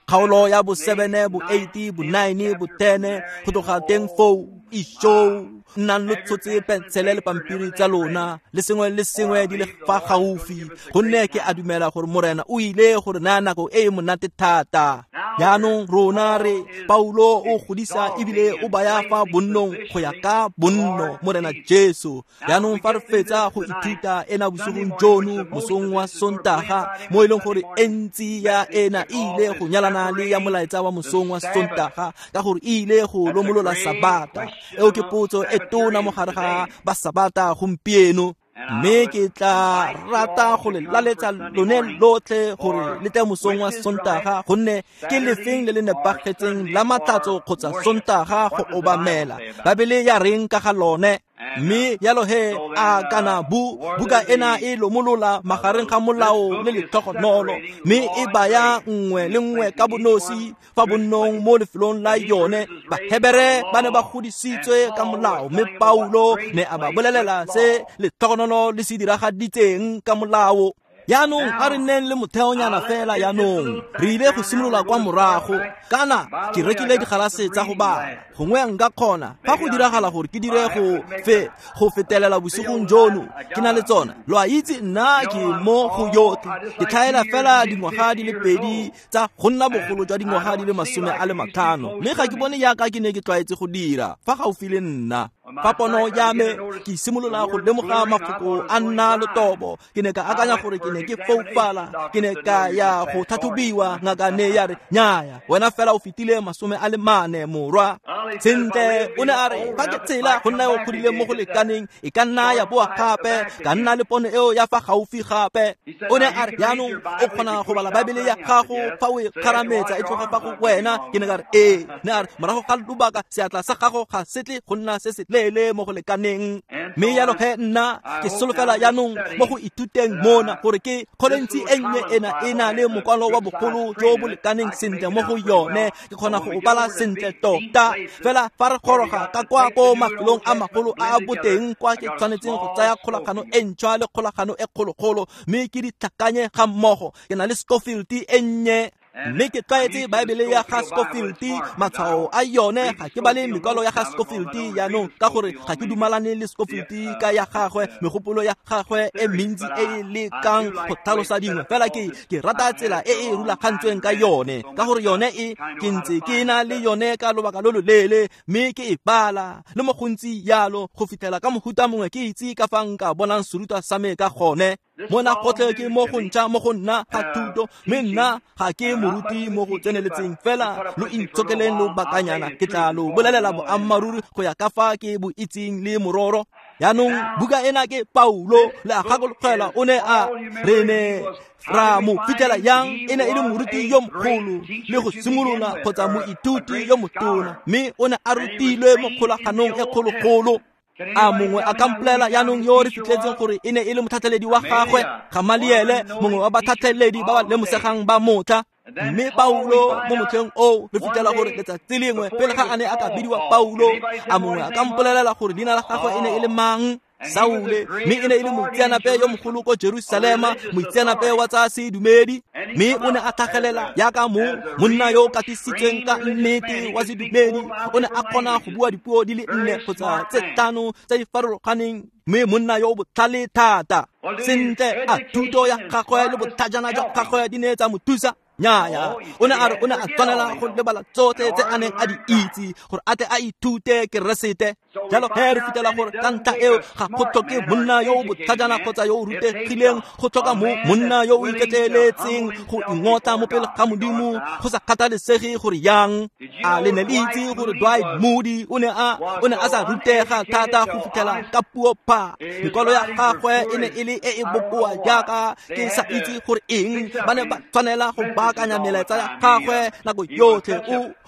Kgaolo ya bo 7, bo 8, bo 9, bo 10, go tloga teng foo, isho, nnang lo tshotse pensele le pampiri tsa lona le sengwe le sengwe di le fa gaufi, gonne ke a dumela gore Morena o ile gore naya nako e e monate thata. Jaanong rona re Paulo o godisa ebile o baya fa bonnong go ya ka bonno Morena Jesu. Jaanong fa re fetsa go ithuta ena bosigong jono mosong wa Sontaga, mo e leng gore e ntsi ya ena e ile go nyalana le ya molaetsa wa mosong wa Sontaga, ka gore e ile go lomolola Sabata. Eo ke potso e tona mo gare ga ba Sabata gompieno. Mme ke tla rata go le laletsa lone lotlhe gore le tle mosong wa Sontaga, gonne ke lefeng le le nepagetseng la Matlhatso kgotsa Sontaga go obamela. Baebele ya reng ka ga lone? Mme yalo he a kana buka ena e lomolola magareng ga molao le letlhogonolo, mme e baya nngwe le nngwe ka bonosi fa bonnong mo lefelong la yone. Bahebere ba ne ba godisitswe ka molao, mme Paulo ne a ba bolelela se letlhogonolo le se diragaditseng ka molao. Jaanong a re nneng le motheonyana fela. Jaanong re ile go simolola kwa morago, kana ke rekile digalase tsa go bala, gongwe nka kgona fa go diragala gore ke dire go fetelela bosigong jono ke na le tsona. Lo a itse nna ke mo go yotlhe, ke tlhaela fela dingwaga di le 2 tsa go nna bogolo jwa dingwaga di le 50, mme ga ke bone jaaka ke ne ke tlwaetse go dira fa gaufi le nna. Fa pono ya me ke simolola go lemoga mafoko a nna letobo, ke ne ka akanya gore ke ne ke foufala. Ke ne ka ya go tlhatlhobiwa, ngaka ne ya re nnyaya, wena fela o fetile 40 morwa. Sentle, o ne a re fa ke tsela go nna o godile mo go lekaneng, e ka nna ya boa gape, ka nna le pono eo ya fa gaufi gape. O ne a re jaanong o kgona go bala Baebele ya gago fa o e kgarametsa e tloga fa go wena. Ke ne ka re ee. Ne a re morago ga lobaka seatla sa gago ga se tle go nna se se leele mo go lekaneng. Mme yalo ge nna ke solofela jaanong mo go ithuteng mona gore ke kgolentsi e nnye ena e na le mokwalo wa bogolo jo bo lekaneng sentle mo go yone, ke kgona go bala sentle tota. Fela fa re goroga ka kwa ko mafelong a magolo a a boteng kwa ke tshwanetseng go tsaya kgolagano e ntšhwa le kgolagano e kgologolo, mme ke di tlhakanye ga mmogo. Ke na le Scofield e nnye, mme ke tlwaetse Baebele ya ga Scofield, matshwao a yone. Ga ke bale mekwalo ya ga Scofield jaanong, ka gore ga ke dumalane le Scofield ka ya gagwe, megopolo ya gagwe e mentsi e e lekang go tlhalosa dingwe. Fela ke rata tsela e e rulagantsweng ka yone, ka gore yone e ke ntse ke na le yone ka lobaka lo loleele, mme ke e bala le mo gontsi yalo go fitlhela ka mohuta mongwe ke itse ka fa nka bonang serutwa sa me ka gone. Mona gotlhe ke mo go ntšha mo go nna ga thuto, mme nna ga ke moruti mo go tseneletseng. Fela lo intshokeleng lobakanyana, ke tla lo bolelela boammaaruri go ya ka fa ke bo itseng le mororo. Jaanong buka ena ke Paulo, le a gakologelwa o ne a re ne ra mo fitlhela yang e ne e le moruti yo mogolo le go simolola kgotsa moithuti yo motona, mme o ne a rutilwe mo kgolaganong e kgologolo. A mongwe a ka mpolela jaanong yo re fitlhetseng gore e ne e le motlhatlheledi wa gagwe, Gamaliele, mongwe wa batlhatlheledi ba ba lemosegang ba motlha. Mme Paulo mo motlheng oo re fitlhela gore letsatsi lengwe pele ga a ne a ka bidiwa Paulo, a mongwe a ka mpolelela gore leina la gagwe e ne e le mang? Saule. Mme e ne e le moitseanape yo mogolo ko Jerusalema, moitseanape wa tsa sedumedi. Mme o ne a tlhagelela jaaka monna yo o katisitsweng ka nnete wa sedumedi. O ne a kgona go bua dipuo di le 4 kgotsa tse 5 tse di farologaneng, mme monna yo o botlhale thata. Sentle, a thuto ya gagwe le botlhajana jwa gagwe di ne tsa mo thusa? Nnyaya, o ne a re o ne a tshwanela go lebala tsotlhe tse a neng a di itse gore a tle a ithute Keresete. Jalo he re fitlhela gore ka ntlha eo ga go tlhoke monna yo o botlhajana kgotsa yo o rutegileng, go tlhoka monna yo o iketleeletseng go ingotla mo pele ga Modimo, go sa kgathalesege gore yang. A le ne le itse gore Dwight Moody o ne a sa rutega thata go fitlhela ka puo pha. Mekwalo ya gagwe e ne e le e e bokoa jaaka ke sa itse gore eng. Ba ne ba tshwanela go baakanya melaetsa ya gagwe nako yotlhe.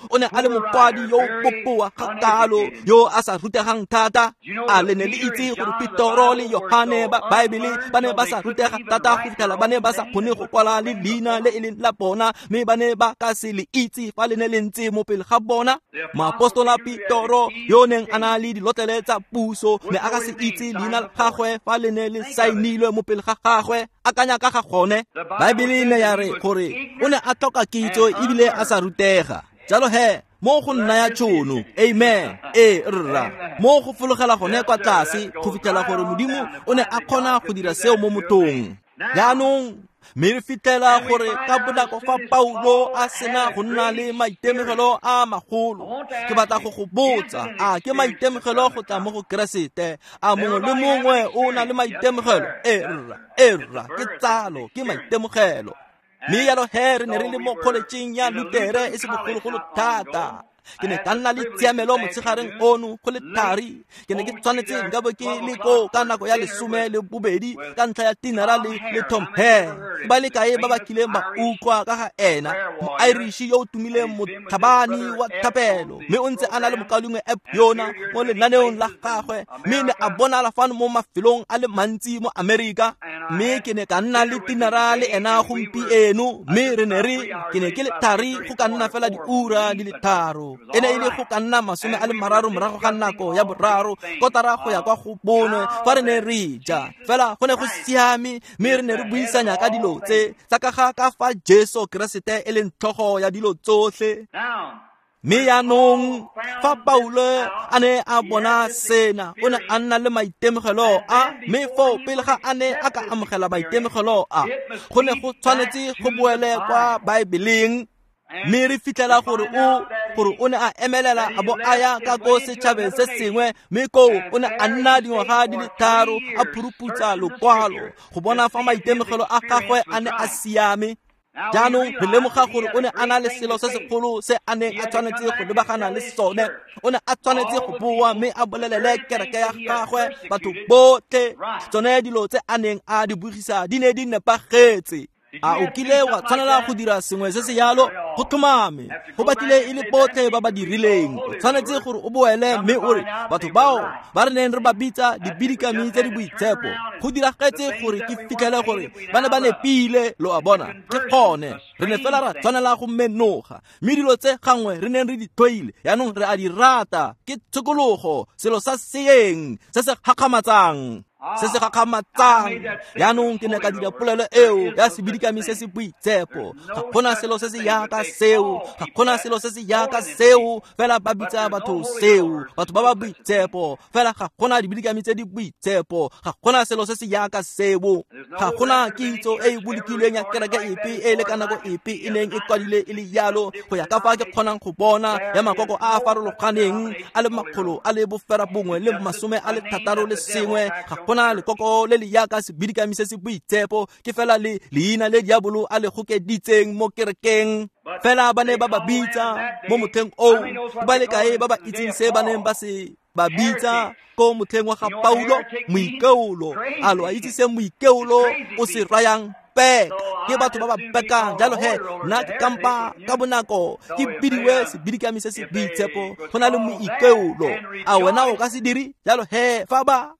O ne a le mokwadi yo o bokoa ga kalo, yo a sa rutegang rutegang thata? A le ne le itse gore Petoro le Yohane ba Baebele ba ne ba sa rutega thata go fitlhela ba ne ba sa kgone go kwala le leina le e leng la bona, mme ba ne ba ka se le itse fa le ne le ntse mo pele ga bona? Moapostola Petoro yo neng a na le dilotlele tsa puso ne a ka se itse leina la gagwe fa le ne le saenilwe mo pele ga gagwe. Akanya ka ga gone. Baebele ne ya re gore o ne a tlhoka kitso ebile a sa rutega. Jalo he, mo go nnaya tšhono, amen, ee rra, mo go fologela gone kwa tlase go fitlhela gore Modimo o ne a kgona go dira seo mo mothong. Jaanong mme re fitlhela gore ka bonako fa Paulo a sena go nna le maitemogelo a magolo, ke batla go go botsa, a ke maitemogelo go tla mo go Keresete? A mongwe le mongwe o na le maitemogelo? Ee rra, ee rra, ke tsalo, ke maitemogelo. Mme jalo he re ne re le mo kgoletšeng ya Lutere e se bogologolo thata. Ke ne ka nna le tshiamelo motshegareng ono go le thari. Ke ne ke tshwanetse nka bo ke le koo ka nako ya 12 ka ntlha ya tinara le Tom Hare. Ba le kae ba ba kileng ba utlwa ka ga ena, mo-Irish yo o tumileng, motlhabani wa thapelo, mme o ntse a na le mokaulengwe Eb yona mo lenaneong la gagwe, mme ne a bonala fano mo mafelong a le mantsi mo Amerika. Mme ke ne ka nna le tinara le ena gompieno, mme re ne re ke ne ke le thari go ka nna fela diura di le 3. E ne e le go ka nna 30 morago ga nako ya 3, kotara go ya kwa go 4 fa re ne re ja. Fela go ne go siame, mme re ne re buisanya ka dilo tse tsa ka ga ka fa Jesu Keresete e leng tlhogo ya dilo tsotlhe. Mme jaanong fa Paulo a ne a bona sena, o ne a nna le maitemogelo a, mme foo pele ga a ne a ka amogela maitemogelo a, go ne go tshwanetse go boele kwa Baebeleng. Mme re fitlhela gore o ne a emelela a bo a ya ka ko setšhabeng se sengwe, mme koo o ne a nna dingwaga di le 3 a phuruputsa lokwalo go bona fa maitemogelo a gagwe a ne a siame. Jaanong re lemoga gore o ne a na le selo se segolo se a neng a tshwanetse go lebagana le sone. O ne a tshwanetse go boa mme a bolelele kereke ya gagwe, batho botlhe, tsone dilo tse a neng a di bogisa di ne di nepagetse. A o kile wa tshwanela go dira sengwe se se yalo? Go tlhomame, go batlile e le botlhe ba ba dirileng. O tshwanetse gore o boele mme o re, batho bao ba re neng re ba bitsa dibidikami tse di boitshepo, go diragetse gore ke fitlhele gore ba ne ba nepile. Lo a bona, ke gone re ne fela ra tshwanela go menoga, mme dilo tse gangwe re neng re di tlhoile jaanong re a di rata. Ke tshokologo, selo sa seeng se se gakgamatsang, se se gakgamatsang. Jaanong ke ne ka dira polelo eo ya sebidikami se se boitshepo. Ga gona selo se se yaka seo, ga gona selo se se yaka seo, fela ba bitsa batho seo, batho ba ba boitshepo, fela ga gona dibidikami tse di boitshepo, ga gona selo se se yaka seo. Ga gona kitso e e bolokilweng ya kereke epe e le ka nako epe e neng e kwadile e le yalo, go ya ka fa ke kgonang go bona, ya makoko a a farologaneng a le 161. Ga gona lekoko le le yaka sebidikami se se boitshepo, ke fela le leina le diabolo a le gokeditseng mo kerekeng. Fela ba ne ba ba bitsa mo motlheng oo, ba le kae ba ba itseng se ba neng ba se ba bitsa ko motlheng wa ga Paulo? Moikeolo. A lo a itse se moikeolo o se rayang? Peka. Ke batho ba ba pekang. Jalo he, nna ke kampa ka bonako ke bidiwe sebidikami se se boitshepo go na le moikeolo. A wena o ka se dire? Jalo he, fa ba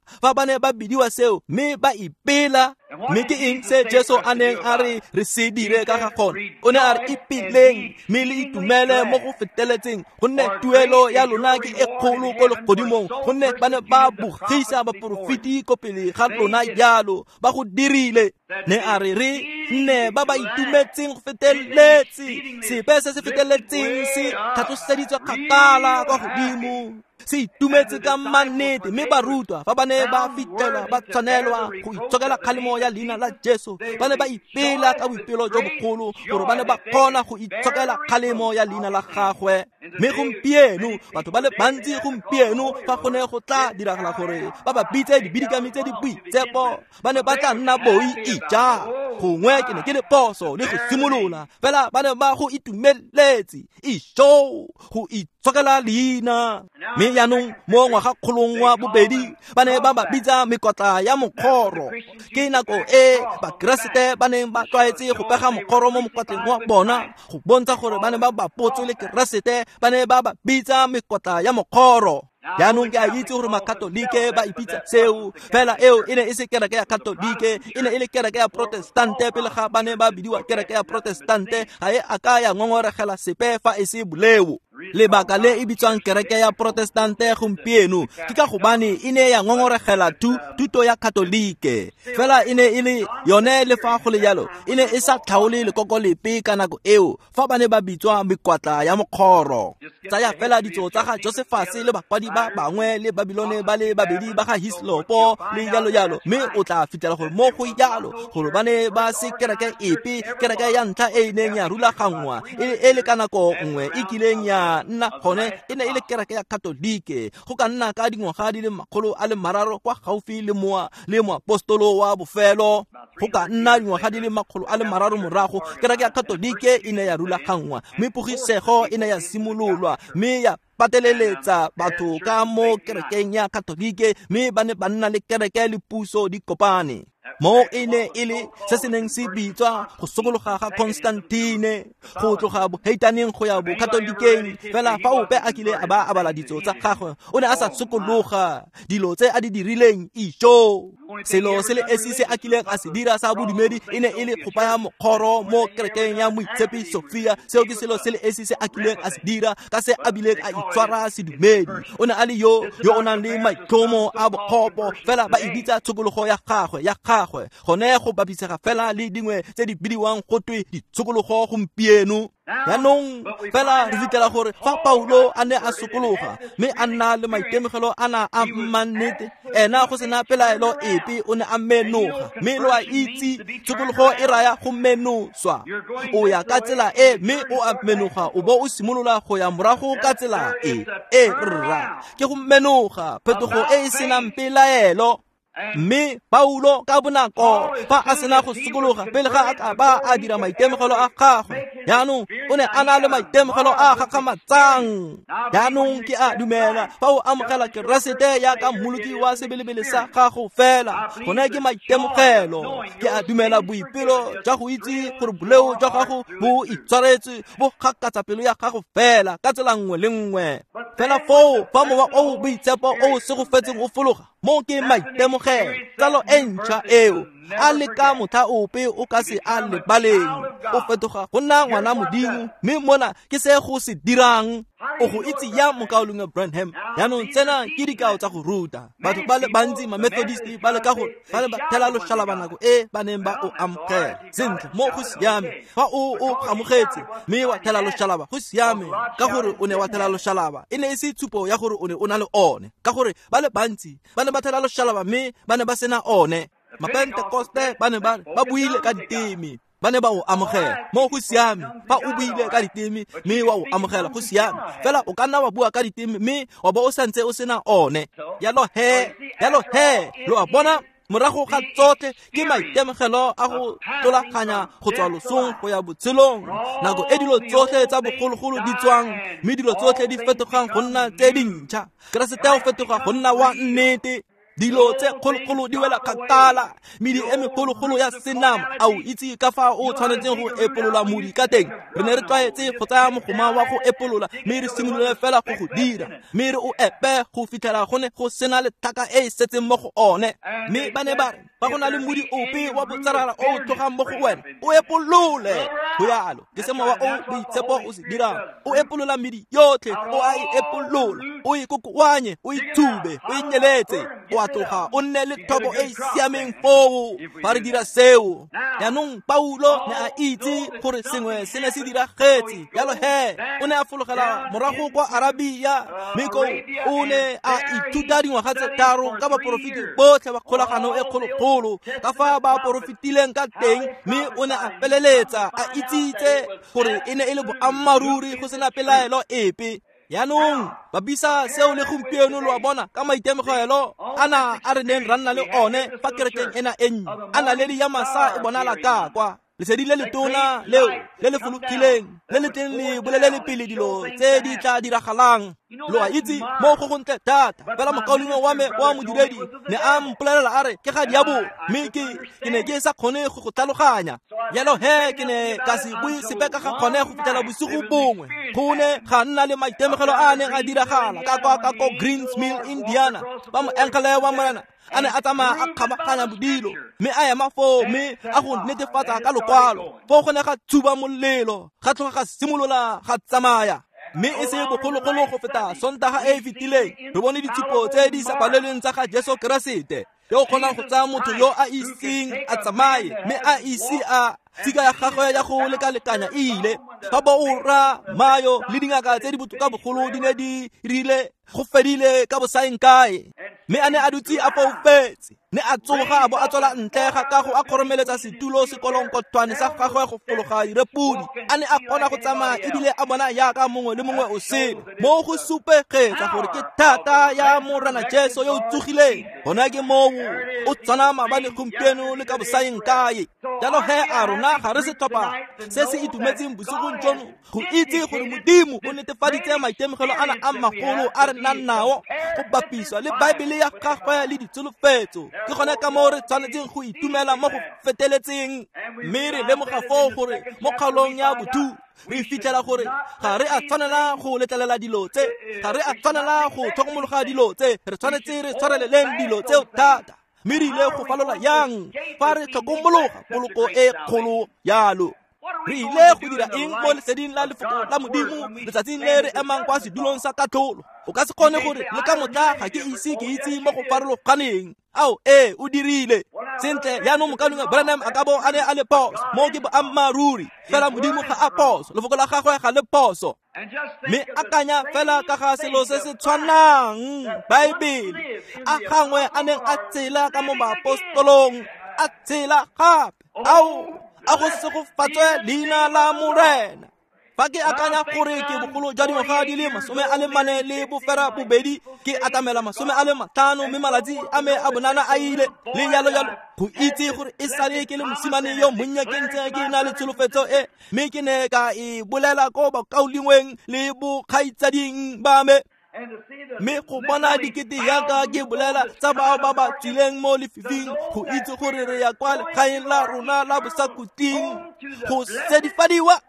ne ba bidiwa seo mme ba ipela. Mme ke eng se Jesu a neng a re re se dire ka ga gone? O ne a re ipeleng mme le itumele mo go feteletseng, gonne tuelo ya lona ke e kgolo ko legodimong, gonne ba ne ba bogisa baporofeti ko pele ga lona jalo, ba go dirile. Ne a re re nne ba ba itumetseng go feteletse, sepe se se feteletseng se tlhatloseditswe kgakala kwa godimo, se itumetse ka mannete. Mme barutwa fa ba ne ba fitlhelwa ba tshwanelwa go itshokela kgalemo ya leina la Jesu, ba ne ba ipela ka boipelo jo bogolo gore ba ne ba kgona go itshokela kgalemo ya leina la gagwe. Mme gompieno batho ba le bantsi gompieno, fa go ne go tla diragala gore ba ba bitse dibidikami tse di boitshepo, ba ne ba tla nna boi ija. Gongwe ke ne ke le phoso le go simolola, fela ba ne ba go itumeletse. Isho, go Tshokela leina. Mme jaanong mo ngwagakgolong wa bobedi ba ne ba ba bitsa mekotla ya mokgoro. Ke nako e Bakeresete ba neng ba tlwaetse go pega mokgoro mo mokotleng wa bona go bontsha gore ba ne ba bapotswe le Keresete, ba ne ba ba bitsa mekotla ya mokgoro. Jaanong ke a itse gore Makatolike ba ipitsa seo, fela eo e ne e se kereke ya Katolike, e ne e le kereke ya Protestante pele ga ba ne ba bidiwa kereke ya Protestante. Ga e a ka ya ngongoregela sepe fa e se boleo. Lebaka le e bitswang kereke ya Protestante gompieno ke ka gobane e ne ya ngongoregela thuto ya Katolike, fela e ne e le yone. Le fa go le jalo, e ne e sa tlhaole lekoko lepe ka nako eo fa ba ne ba bitswa mekwatla ya mokgoro. Tsaya fela ditso tsa ga Josephus le bakwadi ba bangwe le Babilone ba le babedi ba ga Hislopo le jalo jalo, mme o tla fitlhela gore mo go jalo gore ba ne ba se kereke epe. Kereke ya ntlha e e neng ya rulaganngwa e le ka nako nngwe e kileng ya nna gone e ne e le kereke ya Katolike, go ka nna ka dingwaga di le 300 kwa gaufi le moa le moapostolo wa bofelo. Go ka nna dingwaga di le 300 morago kereke ya Katolike e ne ya rulaganngwa, mme pogisego e ne ya simololwa mme ya pateleletsa batho ka mo kerekeng ya Katolike, mme ba ne ba nna le kereke le puso di kopane. Mo e ne e le se se neng se bitswa go sokologa ga Constantine, go tloga boheitaneng go ya bokatolikeng. Fela fa ope a kile a ba a bala ditso tsa gagwe, o ne a sa sokologa dilo tse a di dirileng. Ijo, selo se le esi se a kileng a se dira sa bodumedi e ne e le go baya mokgoro mo kerekeng ya Moitshepi Sofia. Seo ke selo se le esi se a kileng a se dira ka se a bileng a itshwara sedumedi. O ne a le yo o nang le maitlhomo a bokgopo, fela ba e bitsa tshokologo ya gagwe ya gagwe. Gone go bapisega fela le dingwe tse di bidiwang go twe ditshokologo gompieno. Jaanong fela re fitlhela gore fa Paulo a ne a sokologa mme a nna le maitemogelo a na a mmannete, ena go sena pelaelo epe o ne a menoga. Mme lo a itse tshokologo e raya go menoswa. O ya ka tsela e mme o a menoga, o bo o simolola go ya morago ka tsela e. E rra ke go menoga, phetogo e e senang pelaelo. Mme Paulo ka bonako fa a sena go sokologa, pele ga a ka ba a dira maitemogelo a gagwe, jaanong o ne a na le maitemogelo a gakgamatsang. Jaanong ke a dumela fa o amogela Keresete jaaka mmoloki wa sebelebele sa gago fela, gone ke maitemogelo. Ke a dumela boipelo jwa go itse gore boleo jwa gago bo itshwaretswe bo gakatsa pelo ya gago fela ka tsela nngwe le nngwe. Fela foo fa mowa o boitshepo o segofetseng o fologa, mo ke maitemogelo, tsalo e ntšha eo a le ka motlha ope o ka se a lebaleng. O fetoga go nna ngwana Modimo, mme mona ke se go se dirang. O go itse ya mokaulengwe Branham. Jaanong tsena ke dikao tsa go ruta. Batho ba le bantsi ma-Methodist ba leka go ba le ba thela loshalaba nako e ba neng ba o amogela. Sentle, mo go siame. Fa o o amogetse mme wa thela loshalaba, go siame, ka gore o ne wa thela loshalaba. E ne e se tshupo ya gore o ne o na le one, ka gore ba le bantsi ba ne ba thela loshalaba mme ba ne ba sena one. Mapentekoste ba ne ba buile ka diteme, ba ne ba o amogela. Mo go siame fa o buile ka diteme mme wa o amogela, go siame. Fela o ka nna wa bua ka diteme mme wa bo o santse o sena one. Jalo he, lo a bona, morago ga tsotlhe ke maitemogelo a go tlolaganya go tswa losong go ya botshelong, nako e dilo tsotlhe tsa bogologolo di tswang mme dilo tsotlhe di fetogang go nna tse dintšha. Keresete o fetoga go nna wa nnete. Dilo tse kgologolo di wela kgakala, medi e megologolo ya senama. A o itse ka fa o tshwanetseng go epolola modi ka teng? Re ne re tlwaetse go tsaya mogoma wa go epolola mme re simolole fela go go dira, mme re o epe go fitlhela go ne go sena le tlhaka e e setseng mo go one. Mme ba ne ba re fa go na le modi ope wa botsarara o o tlogang mo go wena, o epolole. Go yalo ke se mowa o boitshepo o se dirang. O epolola medi yotlhe, o a e epolola, o e kokoanye, o e thube, o e nyeletse, o a tloga o nne le thobo e e siameng foo. Fa re dira seo, jaanong Paulo ne a itse gore sengwe se ne se diragetse. Jalo he o ne a fologela morago kwa Arabia, mme koo o ne a ithuta dingwaga tse 3 ka baporofeti botlhe ba kgolagano e kgologolo, ka fa ba porofetileng ka teng, mme o ne a feleletsa a itsitse gore e ne e le boammaaruri go sena pelaelo epe. Jaanong bapisa seo le gompieno, lo a bona, ka maitemogelo ana a re neng ra nna le one fa kerekeng ena e nnye, a naledi ya masa e bonala ka kwa. Lesedi le letona leo le le fologileng le le tleng le bolelele pele dilo tse di tla diragalang. Lo a itse mo go gontle thata. Fela mokaulengwe wa me wa modiredi ne a mpolelela a re ke ga diabolo, mme ke ne ke sa kgone go go tlhaloganya. Jalo he ke ne ka se bue sepe ka ga kgone go fitlhela bosigo bongwe. Go ne ga nna le maitemogelo a a neng a diragala ka kwa ka ko Greens Mill, Indiana, ba moengele wa Morena a ne a tsamaya a kgabaganya bodilo, mme a ema foo mme a go netefatsa ka lokwalo. Foo go ne ga tshuba molelo, ga tloga ga simolola ga tsamaya. Mme e se bogologolo go feta Sontaga e e fetileng, re bone ditshupo tse di sa palelweng tsa ga Jesu Keresete, yo o kgonang go tsaya motho yo a iseng a tsamaye mme a ise a tshika ya gagwe ya go lekalekanya e ile. Fa boora Mayo le dingaka tse di botoka bogolo di ne di rile go fedile ka bosaeng kae, mme a ne a dutse a foufetse, ne a tsoga a bo a tswela ntle ga kago a kgoromeletsa setulo sekolonkothwane sa gagwe go fologa direpodi. A ne a kgona go tsamaya ebile a bona jaaka mongwe le mongwe o sele. Mo go supegetsa gore ke thata ya Morena Jesu yo o tsogileng. Gona ke moo o tshwana maabane, gompieno le ka bosaeng kae. Jalo he a rona ga re setlhopha se se itumetseng bosigong jono go itse gore Modimo o netefaditse maitemogelo ana a magolo a re nang nao go bapiswa le Baebele ya gagwe le ditsholofetso. Ke gone ka moo re tshwanetseng go itumela mo go feteletseng. Mme re lemoga foo gore mo kgaolong ya bothu re fitlhela gore ga re a tshwanela go letlelela dilo tse, ga re a tshwanela go tlhokomologa dilo tse, re tshwanetse re tshwareleleng dilo tseo thata. Mme re ile go falola yang fa re tlhokomologa poloko e kgolo yalo? Re ile go dira eng mo leseding la lefoko la Modimo letsatsing le re emang kwa sedulong sa katlholo? O ka se kgone gore le ka motla ga ke ise ke itse mo go farologaneng. Ao ee, o dirile sentle. Jaanong mokaulengwe Branham a ka bo a ne a le phoso, mo ke boammaaruri. Fela Modimo ga a phoso, lefoko la gagwe ga le phoso. Mme akanya fela ka ga selo se se tshwanang Baebele a gangwe a neng a tshela ka mo baapostolong, a tshela gape. Ao, a go segofatswe leina la Morena. Fa ke akanya gore ke bogolo jwa dingwaga di le 48, ke atamela 50, mme malatsi a me a bonana a ile le jalo jalo. Go itse gore e sale ke le mosimane yo monnye ke ntse ke na le tsholofetso e, mme ke ne ka e bolela ko bakaulengweng le bokgaitsading ba me. Mme go bona dikete yaka ke bolela tsa bao ba ba tswileng mo lefifing, go itse gore re ya kwa legaeng la rona la bosakhutleng go sedifadiwa.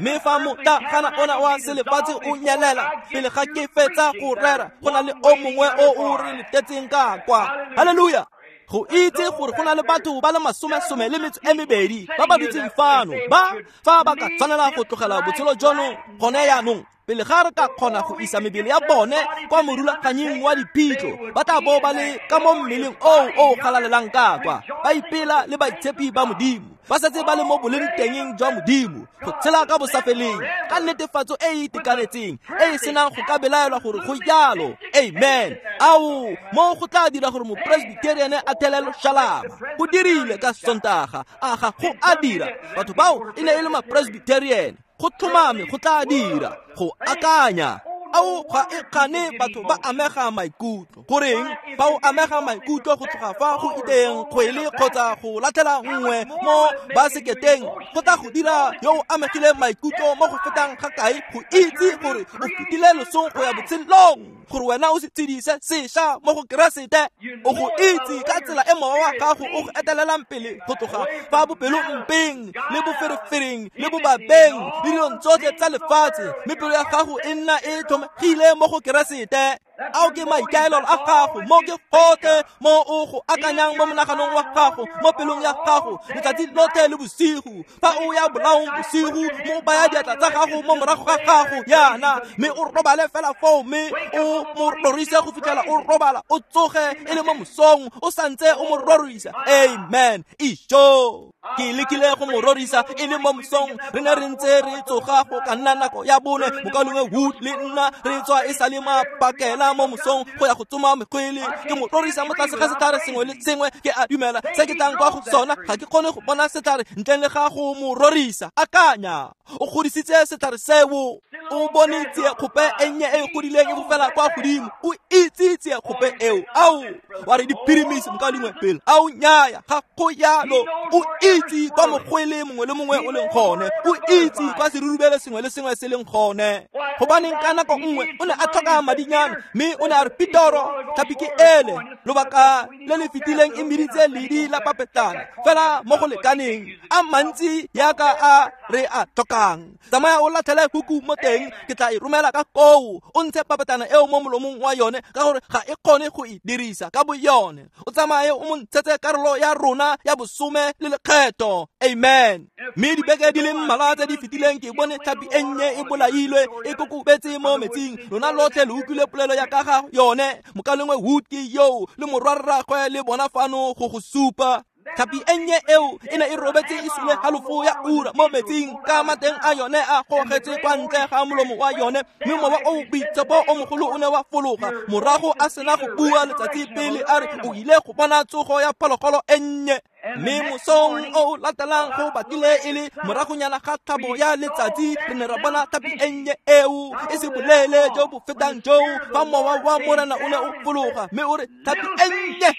Mme fa motlagana ona wa selefatshe o nyelela pele ga ke fetsa go rera, go na le o mongwe o o re letetseng ka kwa. Halleluja! Go itse gore go na le batho ba le 12 ba ba dutseng fano, ba fa ba ka tshwanela go tlogela botshelo jono gone jaanong, pele ga re ka kgona go isa mebele ya bone kwa morulaganying wa diphitlho, ba tla bo ba le ka mo mmeleng oo o galalelang ka kwa, ba ipela le baitshepi ba Modimo, ba setse ba le mo boleng tengeng jwa Modimo, go tshela ka bosafeleng ka netefatso e e itekanetseng e e senang go ka belaelwa gore go jalo. Amen. Ao, mo go tla dira gore mopresbyterian a thele loshalaba. Go dirile ka Sontaga, a ga go a dira. Batho bao e ne e le mapresbyterian. Go tlhomame go tla dira go akanya. Ao, ga e kgane batho ba amega maikutlo. Goreng fa o amega maikutlo go tloga fa go iteng kgwele kgotsa go latlhela nngwe mo baseketeng, go tla go dira yo o amegileng maikutlo mo go fetang ga kae go itse gore o fetile losong go ya botshelong, gore wena o se tshedise sešwa mo go Keresete. O go itse ka tsela e mowa wa gago o go etelelang pele go tloga fa bopelompeng le boferefereng le bobabeng le dilong tsotlhe tsa lefatshe, mme pelo ya gago e nna e tlhomegile mo go Keresete. Ao ke maikaelelo a gago, mo ke gotlhe mo o go akanyang mo monaganong wa gago, mo pelong ya gago letsatsi lotlhe le bosigo. Fa o ya bolaong bosigo, mo baya diatla tsa gago mo morago ga gago yana, mme o robale fela foo, mme o mo rorise go fitlhela o robala, o tsoge e le mo mosong o santse o mo rorisa. Amen. Isho, ke lekile go mo rorisa e le mo mosong. Re ne re ntse re tsoga go ka nna nako ya 4, mokaulengwe Wood le nna re tswa e sa le mapakela mo mosong go ya go tsoma mekgwele. Ke mo rorisa mo tlase ga setlhare sengwe le sengwe. Ke a dumela se ke tlang kwa go sona, ga ke kgone go bona setlhare ntleng le ga go mo rorisa. Akanya, o godisitse setlhare seo, o bone tsiekgope e nnye e e godileng e fofela kwa godimo, o itse tsiekgope eo. Ao, wa re diphirimisi mokaulengwe pele. Ao, nnyaya, ga go yalo. O itse itse kwa mogwele mongwe le mongwe o leng gone, o itse kwa serurubele sengwe le sengwe se leng gone. Gobaneng ka nako nngwe o ne a tlhoka madinyana, mme o ne a re, Petoro, tlhapi ke ele, lobaka le le fetileng e meditse ledi la papetlana fela mo go lekaneng a mantsi yaka a re a tlhokang. Tsamaya o latlhele huku mo teng, ke tla e romela ka koo, o ntshe papetlana eo mo molomong wa yone, ka gore ga e kgone go e dirisa ka bo yone. O tsamaye o mo ntshetse karolo ya rona ya bosome le lekgetho. Amen. Mme dibeke di le mmalwa tse di fetileng ke bone tlhapi e nnye e bolailwe e kokobetse mo metsing. Lona lotlhe le utlwile polelo ya ka ga yone. Mokalengwe Wood ke yo le morwarragwe le bona fano go go supa. Tlhapi e nnye eo e ne e robetse e sule halofo ya ura mo metsing, ka mateng a yone a gogetse kwa ntle ga molomo wa yone, mme mowa o boitshepo o mogolo o ne wa fologa. Morago a sena go bua letsatsi pele a re o ile go bona tsogo ya phologolo e nnye. Mme mosong o latelang go batlile e le moragonyana ga tlhabo ya letsatsi, re ne ra bona tlhapi e nnye eo e se boleele jo bo fetang joo, fa mowa wa Morena o ne o fologa mme o re, tlhapi e nnye,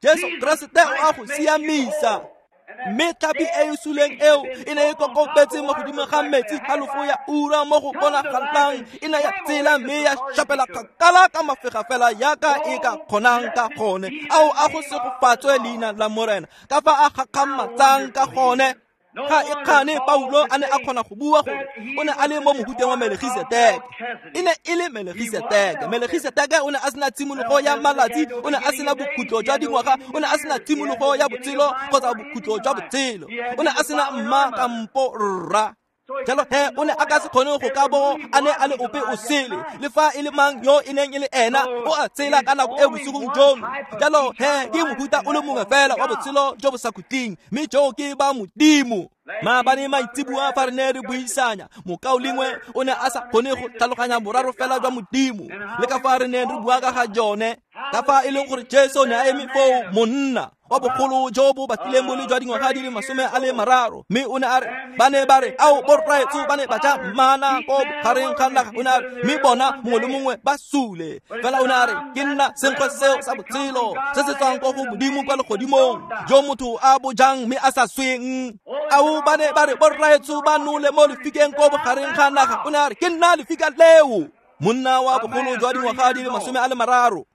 Jesu Keresete o a go siamisa. Mme tlhapi e e suleng eo e ne e kokobetse mo godimo ga metsi halofo ya ura mo go bonagalang, e ne ya tsela mme ya šapela kgakala ka mafega fela yaka e ka kgonang ka gone. Ao a go segofatswe leina la Morena, ka fa a gakgamatsang ka gone. Ga e kgane Paulo a ne a kgona go bua gore o ne a le mo mohuteng wa Melkisedeke. E ne e le Melkisedeke. Melkisedeke o ne a sena tshimologo ya malatsi, o ne a sena bokhutlo jwa dingwaga, o ne a sena tshimologo ya botshelo kgotsa bokhutlo jwa botshelo, o ne a sena mma kampo rra. Jalo he o ne a ka se kgone go ka bo a ne a le ope o sele, le fa e le mang yo e neng e le ena, o a tsela ka nako e bosigong jono. Jalo he ke mohuta o le mongwe fela wa botshelo jo bo sa khutleng, mme joo ke ba Modimo. Maabane maitseboa fa re ne re buisanya, mokaulengwe o ne a sa kgone go tlhaloganya boraro fela jwa Modimo, le ka fa re ne re bua ka ga jone, ka fa e leng gore Jesu ne a eme foo, monna wa bogolo jo bo batlileng bo le jwa dingwaga di le 30, mme o ne a re, ba ne ba re, ao borraetsho ba ne ba ja mana ko bogareng ga naga, o ne a re, mme bona mongwe le mongwe ba sule. Fela o ne a re, ke nna senkgwe seo sa botshelo se se tswang ko go Modimo kwa legodimong, jo motho a bo jang mme a sa sweng. Ao ba ne ba re, borraetsho ba nole mo lefikeng ko bogareng ga naga, o ne a re, ke nna lefika leo. Monna wa bogolo jwa dingwaga di le 30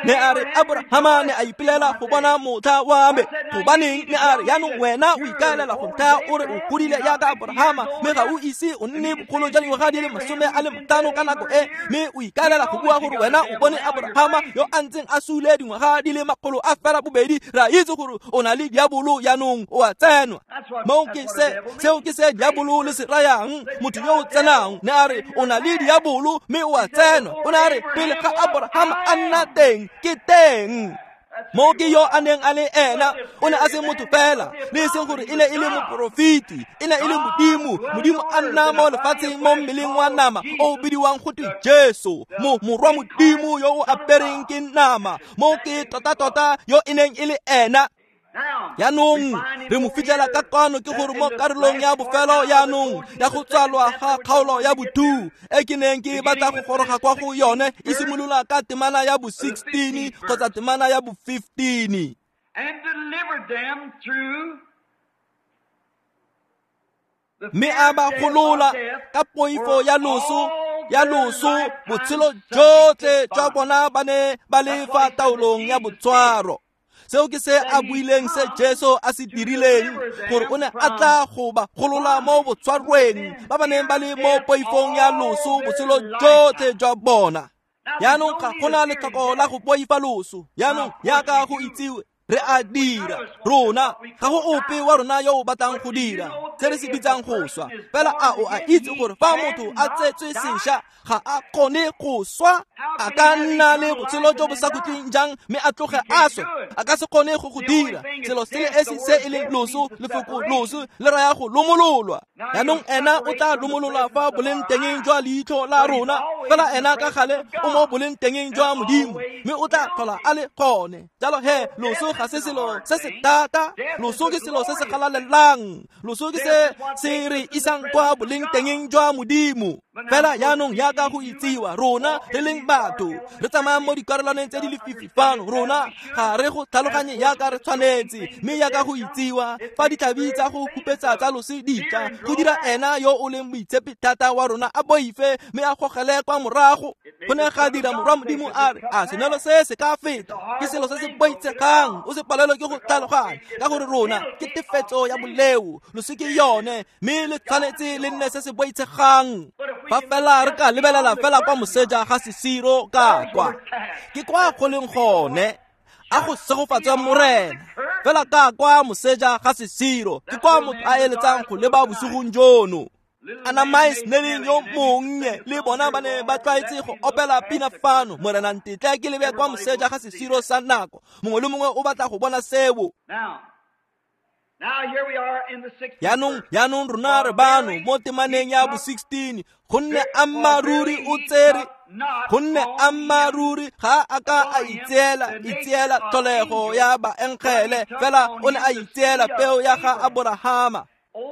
ne a re, Abrahama ne a ipelela go bona motlha wa me. Gobaneng? Ne a re, yaanong wena o ikaelela go nthaya o re o godile yaka Abrahama, mme ga o ise o nne bogolo jwa dingwaga di le 50 ka nako e, mme o ikaelela go bua gore wena o bone Abrahama yo a ntseng a sule dingwaga di le 200. Re a itse gore o na le diabolo, yaanong o a tsenwa. Moo ke se, seo ke se diabolo le se rayang, motho yo o tsenang. Ne a re o na le diabolo mme o a tsenwa. O ne a re pele ga Abrahama a nna teng, ke teng. Mo ke yo a neng a le ena, o ne a se motho fela, le e seng gore e ne e le moporofeti, e ne e le Modimo. Modimo a nna mo lefatsheng mo mmeleng wa nama o bidiwang go twe Jesu, mo morwa Modimo yo o apereng ke nama. Mo ke tota-tota yo e neng e le ena. Yaanong re mo fitlhela ka kwano, ke gore mo karolong ya bofelo yaanong ya go tswalwa ga kgaolo ya bo-2 e ke neng ke batla go goroga kwa go yone, e simolola ka temana ya bo-16 kgotsa temana ya bo-15. Mme a ba golola ka poifo ya loso, botshelo jotlhe jwa bona ba ne ba le fa taolong ya botshwaro. Seo ke se a buileng, se Jesu a se dirileng, gore o ne a tla go ba golola mo botshwarweng ba ba neng ba le mo poifong ya loso botshelo jotlhe jwa bona. Yaanong ga gona letlhoko la go boifa loso. Yaanong yaka go itsiwe, re a dira rona, ga go ope wa rona yo o batlang go dira se re se bitsang go swa. Fela a o a itse gore fa motho a tsetswe sešwa ga a kgone go swa, a ka nna le botshelo jo bo sa khutleng jang mme a tloge a swe? A ka se kgone go go dira. Selo se le esi se e leng loso, lefoko loso le raya go lomololwa. Yaanong ena o tla lomololwa fa boleng tengeng jwa leitlho la rona, fela ena ka gale o mo boleng tengeng jwa Modimo, mme o tla tlhola a le gone. Jalo he loso ga se selo se se thata, loso ke selo se se galalelang, loso ke se se re isang kwa boleng tengeng jwa Modimo. Fela jaanong jaaka go itsiwa rona re leng batho re tsamayang mo dikarolwaneng tse di lefifi fano, rona ga re go tlhaloganye jaaka re tshwanetse, mme jaaka go itsiwa fa ditlhabi tsa go khupetsa tsa loso di tla go dira ena yo o leng moitshepi thata wa rona a boife mme a gogele kwa morago. Go ne ga dira morwa Modimo a re, a senwelo se se ka feta, ke selo se se boitshegang, o se palelwe ke go tlhaloganya, ka gore rona ke tefetso ya boleo, loso ke yone, mme le tshwanetse le nne se se boitshegang. Fa fela re ka lebelela fela kwa moseja ga sesiro ka kwa, ke kwa go leng gone, a go segofatswe Morena. Fela ka kwa moseja ga sesiro ke kwa motho a eletsang go leba bosigong jono. Anamais Snelling yo monnye le bona ba ne ba tlwaetse go opela pina fano, Morena ntetle ke lebe kwa moseja ga sesiro sa nako. Mongwe le mongwe o batla go bona seo. Jaanong rona re bano mo temaneng ya bo 16, gonne ammaruri o tsere, gonne ammaruri ga a ka a itseela tlholego ya baengele, fela o ne a itseela peo ya ga Aborahama.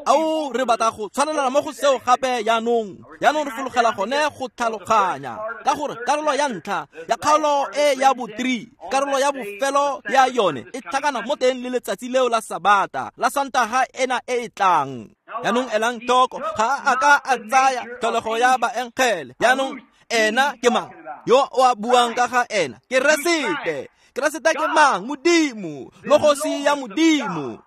Ao re batla go tshwanelana mo go seo gape jaanong. Jaanong re fologela gone go tlhaloganya, ka gore karolo ya ntlha ya kgaolo e ya bo 3, karolo ya bofelo ya yone e tlhakana mo teng le letsatsi leo la Sabata la Sontaga ena e e tlang. Jaanong elang tlhoko, ga a ka a tsaya tlholego ya baengele. Jaanong ena ke mang yo o a buang ka ga ena? Keresete. Keresete ke mang? Modimo, logosi ya Modimo.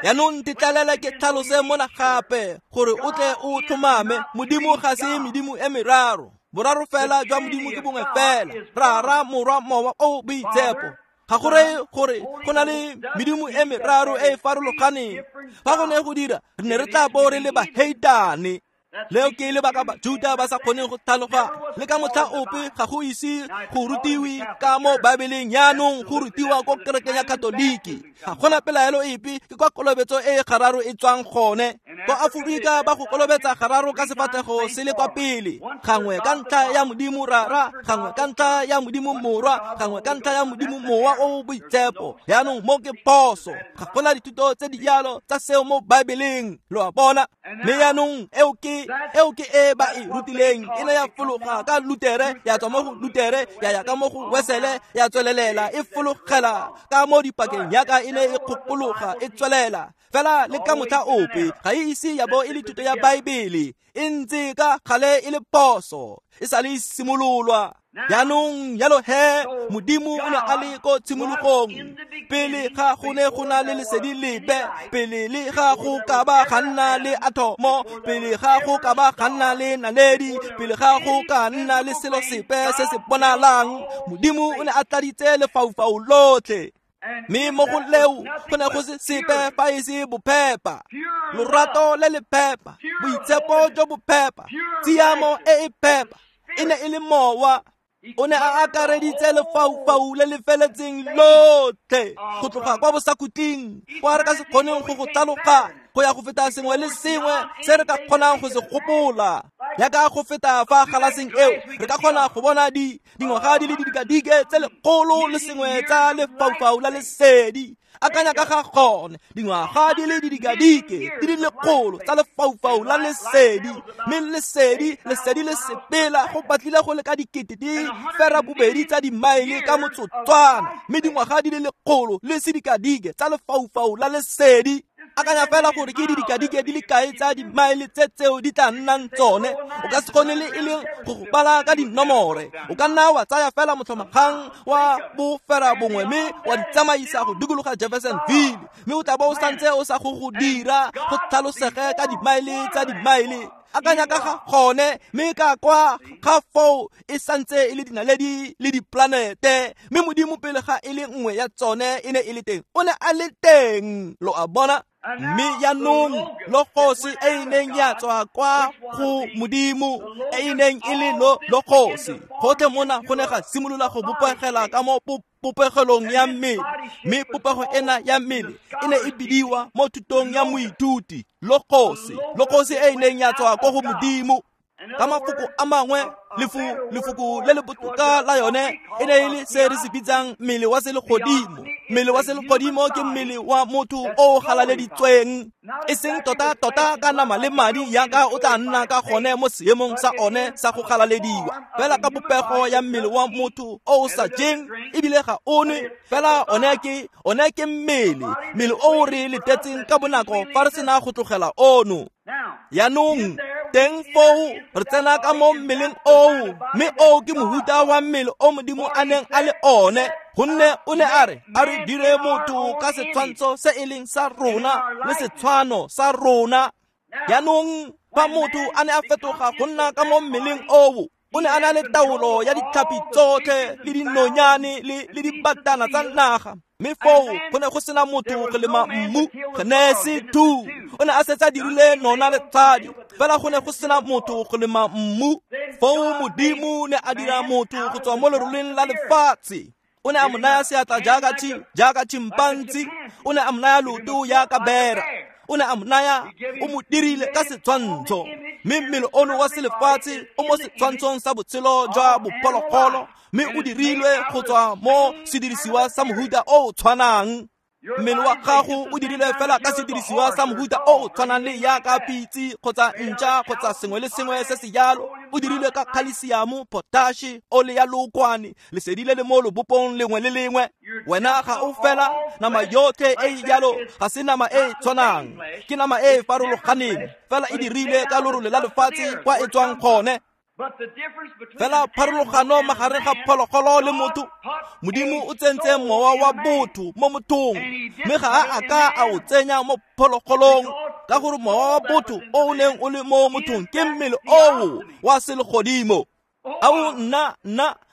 Jaanong ntetlalele ke tlhalose mona gape gore o tle o tlhomame, Modimo ga se medimo e meraro. Boraro fela jwa Modimo ke bongwe fela, Rara, Morwa, Mowa o Boitshepo. Ga go reye gore go na le medimo e meraro e e farologaneng. Fa go ne go dira, re ne re tla bo re le baheitane. Leo ke lebaka Bajuda ba sa kgoneng go tlhaloganya. Le ka motlha ope ga go ise go rutiwe ka mo Baebeleng, jaanong go rutiwa ko kerekeng ya Katoliki. Ga gona pelaelo epe ke kwa kolobetso e gararo e tswang gone. Kwa Aforika ba go kolobetsa gararo ka sefatlhego se le kwa pele, gangwe ka ntlha ya Modimo Rara, gangwe ka ntlha ya Modimo Morwa, gangwe ka ntlha ya Modimo Mowa o Boitshepo. Jaanong mo ke phoso, ga gona dithuto tse di jalo tsa seo mo Baebeleng, lo a bona. Mme jaanong eo ke e ba e rutileng, e ne ya fologa ka Lutere, ya tswa mo go Lutere, ya ya ka mo go Wesele, ya tswelelela e fologela ka mo dipakeng yaka e ne e kgopologa e tswelela. Fela le ka motlha ope ga e ise ya bo e le thuto ya Baebele, e ntse ka gale e le phoso, e sa le simololwa. Jaanong jalo he, Modimo o ne a le ko tshimologong, pele ga go ne go na le lesedi lepe, pele le ga go ka ba ga nna le athomo, pele ga go ka ba ga nna le naledi, pele ga go ka nna le selo sepe se se bonalang, Modimo o ne a tladitse lefaufau lotlhe. Mme mo go leo go ne go se sepe fa e se bophepa, lorato le le phepa, boitshepo jo bo phepa, tshiamo e e phepa. E ne e le mowa. O ne a akareditse lefaufau le le feletseng lotlhe, go tloga kwa bosakhutleng, kwa re ka se kgoneng go go tlhaloganya, go ya go feta sengwe le sengwe se re ka kgonang go se gopola. Jaaka go feta fa galaseng eo, re ka kgona go bona dingwaga di le didikadike tse 101 tsa lefaufau la lesedi. Akanya ka ga gone, dingwaga di le didikadike di le 100 tsa lefaufau la lesedi, mme lesedi le sepela go batlile go le ka 8,2 tsa dimaele ka motsotswana, mme dingwaga di le 100 le sedikadike tsa lefaufau la lesedi. Akanya fela gore ke didikadike di le kae tsa dimaele tse tseo di tla nnang tsone. O ka se kgone le e leng go go bala ka dinomore. O ka nna wa tsaya fela motlhomagang wa 9 mme wa di tsamaisa go dikologa Jeffersonville, mme o tla bo o santse o sa go dira go tlhalosege ka dimaele tsa dimaele. Akanya ka ga gone, mme ka kwa ga foo e santse e le dinaledi le diplanete, mme Modimo pele ga e le nngwe ya tsone e ne e le teng, o ne a le teng, lo a bona. Mme jaanong logosi e e neng ya tswa kwa go Modimo, e e neng e le logosi, gotlhe mona go ne ga simolola go bopegela ka mo popegelong ya mmele, mme popego ena ya mmele e ne e bidiwa mo thutong ya moithuti logosi, logosi e e neng ya tswa kwa go Modimo. Ka mafoko a mangwe, lefoko le le botoka la yone e ne e le se re se bitsang mmele wa selegodimo. Mmele wa selegodimo ke mmele wa motho o galaleditsweng, e seng tota-tota ka nama le madi yaka o tla nna ka gone mo seemong sa one sa go galalediwa, fela ka popego ya mmele wa motho o o sa jeng ebile ga o nwe, fela one ke mmele o re letetseng ka bonako fa re sena go tlogela ono. Yaanong teng foo re tsena ka mo mmeleng oo, mme oo ke mohuta wa mmele o Modimo a neng a le one, gonne o ne a re a re dire motho ka setshwantsho se e leng sa rona le setshwano sa rona. Yaanong fa motho a ne a fetoga go nna ka mo mmeleng oo, o ne a na le taolo ya ditlhapi tsotlhe le dinonyane le dibatana tsa naga, mme foo go ne go sena motho go lema mmu. Genesi 2 o ne a setse a dirile nona le tshadi, fela go ne go sena motho go lema mmu. Foo Modimo ne a dira motho go tswa mo leroleng la lefatshe. O ne a mo naya seatla jaaka chimpanzi, o ne a mo naya leoto jaaka bera, o ne a mo naya, o mo dirile ka setshwantsho. Mme mmele ono wa selefatshe o mo setshwantshong sa botshelo jwa bophologolo, mme o dirilwe go tswa mo sedirisiwa sa mohuta o o tshwanang. Mmele wa gago o dirilwe fela ka sedirisiwa sa mohuta o o tshwanang le yaka pitse kgotsa ntša kgotsa sengwe le sengwe se se jalo. O dirilwe ka khalesiamo, potashe, ole ya lookwane, lesedi le le mo lobopong lengwe le lengwe. Wena ga o fela nama yotlhe e e jalo ga se nama e e tshwanang, ke nama e e farologaneng, fela e dirilwe ka lorole la lefatshe kwa e tswang gone. Fela pharologano magareng ga phologolo le motho, Modimo o tsentse mowa wa botho mo mothong, mme ga a a ka a o tsenya mo phologolong, ka gore mowa wa botho o o neng o le mo mothong ke mmele oo wa selegodimo. Ao nna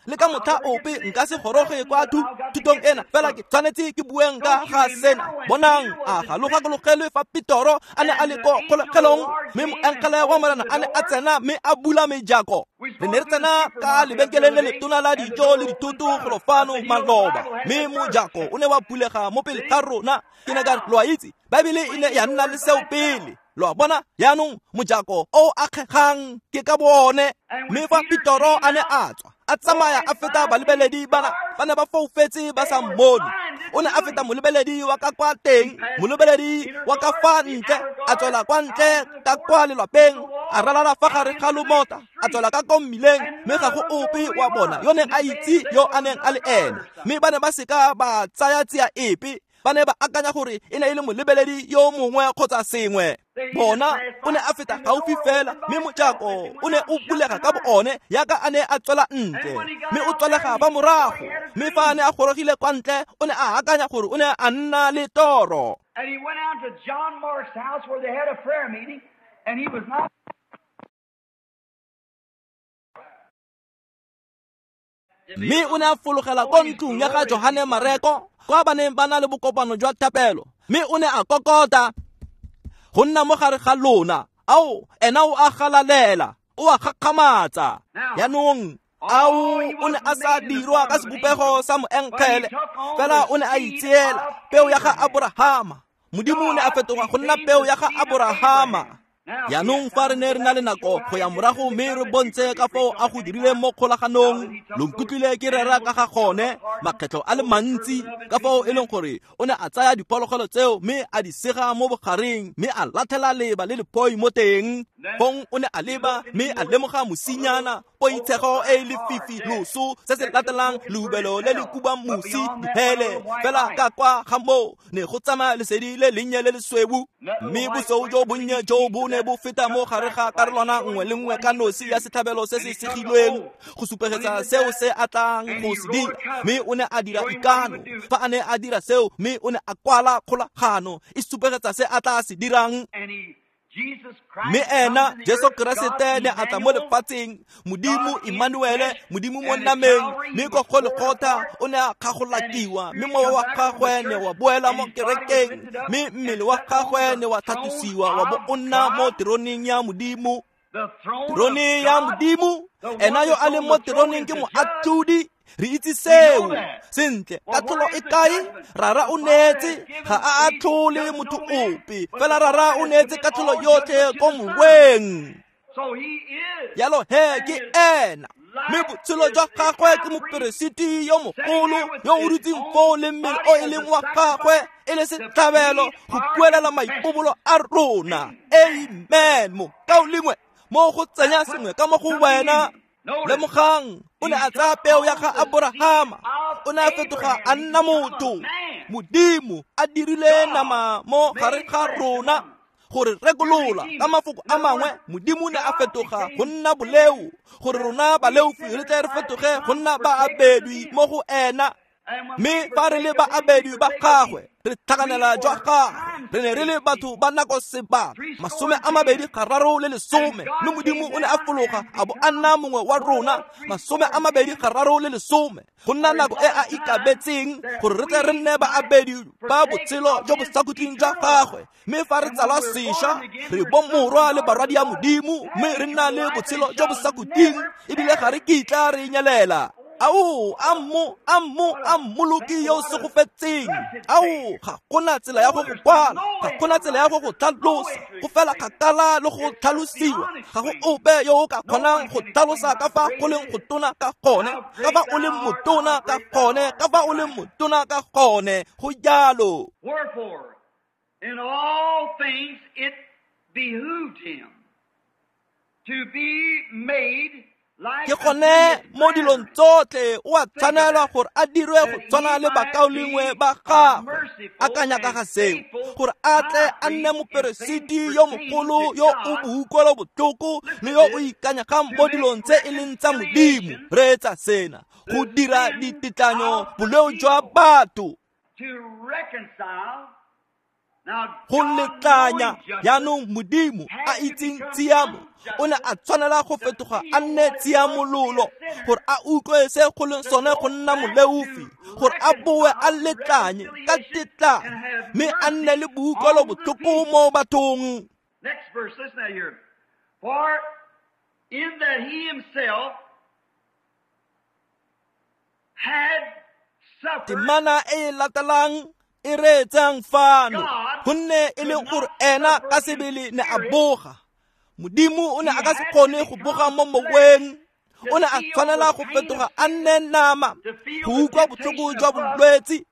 le ka motlha ope nka se goroge kwa thutong ena, fela ke tshwanetse ke bueng ka ga sena. Bonang, a ga lo gakologelwe fa Petoro a ne a le ko kgolegelong, mme moengele wa Morena a ne a tsena mme a bula mejako. Re ne re tsena ka lebenkeleng le letona la dijo le dithoto golo fano maloba, mme mojako o ne wa bulega mo pele ga rona. Ke ne ka re, lo a itse, Baebele e ne ya nna le seo pele. Lo a bona, jaanong mojako o akgegang ke ka bone. Mme fa Petoro a ne a tswa, a tsamaya a feta balebeledi bana ba ne ba foufetse ba sa mmone. O ne a feta molebeledi wa ka kwa teng, molebeledi wa ka fa ntle, a tswela kwa ntle ka kwa lelwapeng, a ralala fa gare ga lomota, a tswela ka ko mmileng, mme ga go ope wa bona yo neng a itse yo a neng a le ene. Mme ba ne ba seka ba tsaya tsia epe, ba ne ba akanya gore e ne e le molebeledi yo mongwe kgotsa sengwe. Bona o ne a feta gaufi fela, mme mojako o ne o bulega ka bo one yaka a ne a tswela ntle, mme o tswalega ba morago. Mme fa a ne a gorogile kwa ntle, o ne a akanya gore o ne a nna le toro. And he went out to John Mark's house where they had a prayer meeting, and he was not. Mme o ne a fologela ko ntlong ya ga Johane Mareko, kwa ba neng ba na le bokopano jwa thapelo, mme o ne a kokota go nna mo gare ga lona. Ao, ena o a galalela, o a gakgamatsa. Yaanong ao o ne a sa dirwa ka sebopego sa moengele, fela o ne a itseela peo ya ga Aborahama. Modimo o ne a fetoga go nna peo ya ga Aborahama. Yaanong fa re ne re na le nako go ya morago mme re bontshe ka foo a go dirileng mo kgolaganong, lo nkutlwile ke rera ka ga gone makgetlho a le mantsi, ka foo e leng gore o ne a tsaya diphologolo tseo mme a di sega mo bogareng, mme a latlhela leba le lephoi mo teng. Fong o ne a leba mme a lemoga mosinyana, poitshego e lefifi, loso se se latelang lehubelo le le kubang mosi, dihele. Fela ka kwa ga moo ne go tsamaya lesedi le lennye le lesweu, mme bosweu jo bonnye jo bo ne bo feta mo gare ga karolwana nngwe le nngwe ka nosi ya setlhabelo se se segilweng go supegetsa seo se a tlang go se dira. Mme o ne a dira ikano fa a ne a dira seo, mme o ne a kwala kgolagano e supegetsa se a tla se dirang. Mme ena Jesu Keresete ne a tla mo lefatsheng, Modimo Emmanuele, Modimo mo nameng, mme ko Golgotha o ne a kgagolakiwa, mme mowa wa gagwe ne wa boela mo kerekeng, mme mmele wa gagwe ne wa tlhatlosiwa wa bo o nna mo teroneng ya Modimo. Terone ya Modimo, ena yo a leng mo teroneng ke moatlhodi. Re itse seo sentle. Katlholo e kae? Rara o neetse, ga a atlhole motho ope, fela Rara o neetse katlholo yotlhe ko moweng. Jalo he ke ena, mme botshelo jwa gagwe ke moperesiti yo mogolo yo o dutseng foo le mmele o e leng wa gagwe e le setlhabelo go buelela maipobolo a rona. Amen. Mokaulengwe, mo go tsenya sengwe ka mo go wena. Lemogang, o ne a tsaya peo ya ga Aborahama, o ne a fetoga a nna motho. Modimo a dirile nama mo gare ga rona gore rekolola. Ka mafoko a mangwe, Modimo ne a fetoga go nna boleo gore rona baleofi re tle re fetoge go nna baabedwi mo go ena. Mme fa re le baabedwi ba gagwe, re tlhakanela jwa gagwe. Re ne re le batho ba nako sebaka 23 mme Modimo o ne a fologa a bo a nna mongwe wa rona 23, go nna nako e a ikabetseng gore re tle re nne baabedi ba botshelo jo bo sa khutleng jwa gagwe. Mme fa re tsalwa sešwa, re bomorwa le barwadi ya Modimo, mme re nna le botshelo jo bo sa khutleng, ebile ga re kitla re nyelela. Ao, a mmo a mmoloki yo o segofetseng. Ao, ga gona tsela ya go go kwala, ga gona tsela ya go go tlhalosa, go fela kgakala le go tlhalosiwa. Ga go ope yo o ka kgonang go tlhalosa ka fa go leng go tona ka gone, ka fa o leng motona ka gone, ka fa o leng motona ka gone. Go jalo. Wherefore, in all things it behooved him to be made like Ke gone mo dilong tsotlhe o a tshwanelwa gore a dirwe go tshwana le bakaulengwe ba gagwe. Akanya ka ga seo, gore a tle a nne moperesiti yo mogolo yo o boutlwelo botlhoko le yo o ikanyegang mo dilong tse e leng tsa Modimo. Reetsa sena, go dira ditetlanyo boleo jwa batho, to reconcile. Now, go God letlanya. knowing justice, Jaanong Modimo a itseng tshiamo o ne a tshwanela go fetoga a nne tshiamololo gore a utlwe se go leng sone go nna moleofi, gore a boe a letlanye ka tetlanyo mme a nne le boutlwelo botlhoko mo bathong. Next verse, listen out here. For in that he himself had suffered Temana e e latelang e reetsang fano, gonne e le gore ena ka sebele ne a boga. Modimo o ne a ka se kgone go boga mo moweng, o ne a tshwanela go fetoga a nne nama go utlwa botlhoko jwa bolwetse,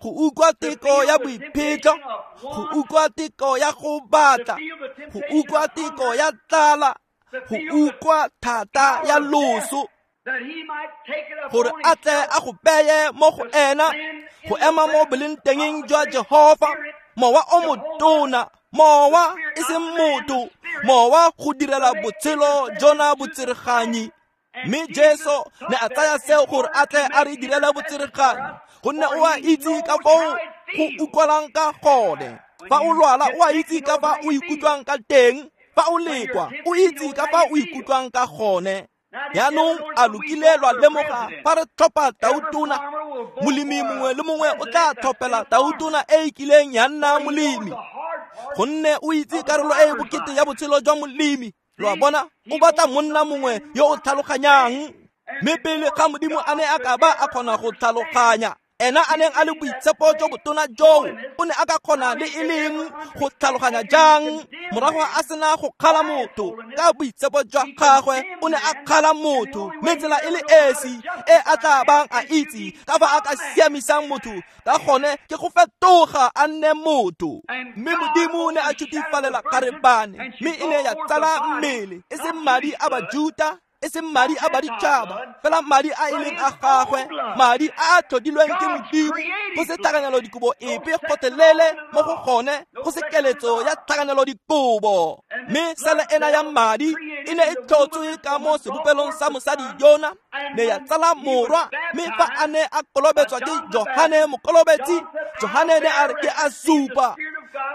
go utlwa teko ya boiphetlo, go utlwa teko ya go batla, go utlwa teko ya tlala, go utlwa thata ya loso, that he might take it gore upon a tle a go beye mo go ena go ema mo bolengtengeng jwa Jehova, mowa o motona, mowa e seng motho, mowa go direla botshelo jona botsereganyi. Mme Jesu ne a tsaya seo gore a tle a re direle botsereganyi, gonne o a itse ka foo go utlwalang ka gone. Fa o lwala, o a itse ka fa o ikutlwang ka teng. Fa o lekwa, o itse ka fa o ikutlwang ka gone. Jaanong a lokile lwa lemoga fa re tlhopha tautona, molemi mongwe le mongwe o tla tlhophela tautona e e kileng ya nna molemi, gonne o itse karolo e e bokete ya botshelo jwa molemi. Lo a bona, o batla monna mongwe yo o tlhaloganyang. Mme pele ga Modimo a ne a ka ba a kgona go tlhaloganya, ena a neng a le boitshepo jo botona joo, o ne a ka kgona le e leng go tlhaloganya jang morago a sena go kgala motho? Ka boitshepo jwa gagwe o ne a kgala motho, mme tsela e le esi e a tla bang a itse ka fa a ka siamisang motho ka gone ke go fetoga a nne motho. Mme Modimo ne a tšhutifalela kgarebane, mme e ne ya tsala mmele, e seng madi a Bajuta, e seng madi a baditšhaba, fela madi a e leng a gagwe, madi a a tlhodilweng ke Modimo, go se tlhakanelo dikobo epe gotlhelele mo go gone, go se keletso ya tlhakanelo dikobo. Mme sele ena ya madi e ne e tlhotswe ka mo sebopelong sa mosadi yona, ne ya tsala morwa. Mme fa a ne a kolobetswa ke Johane Mokolobetsi, Johane ne a re, "Ke a supa,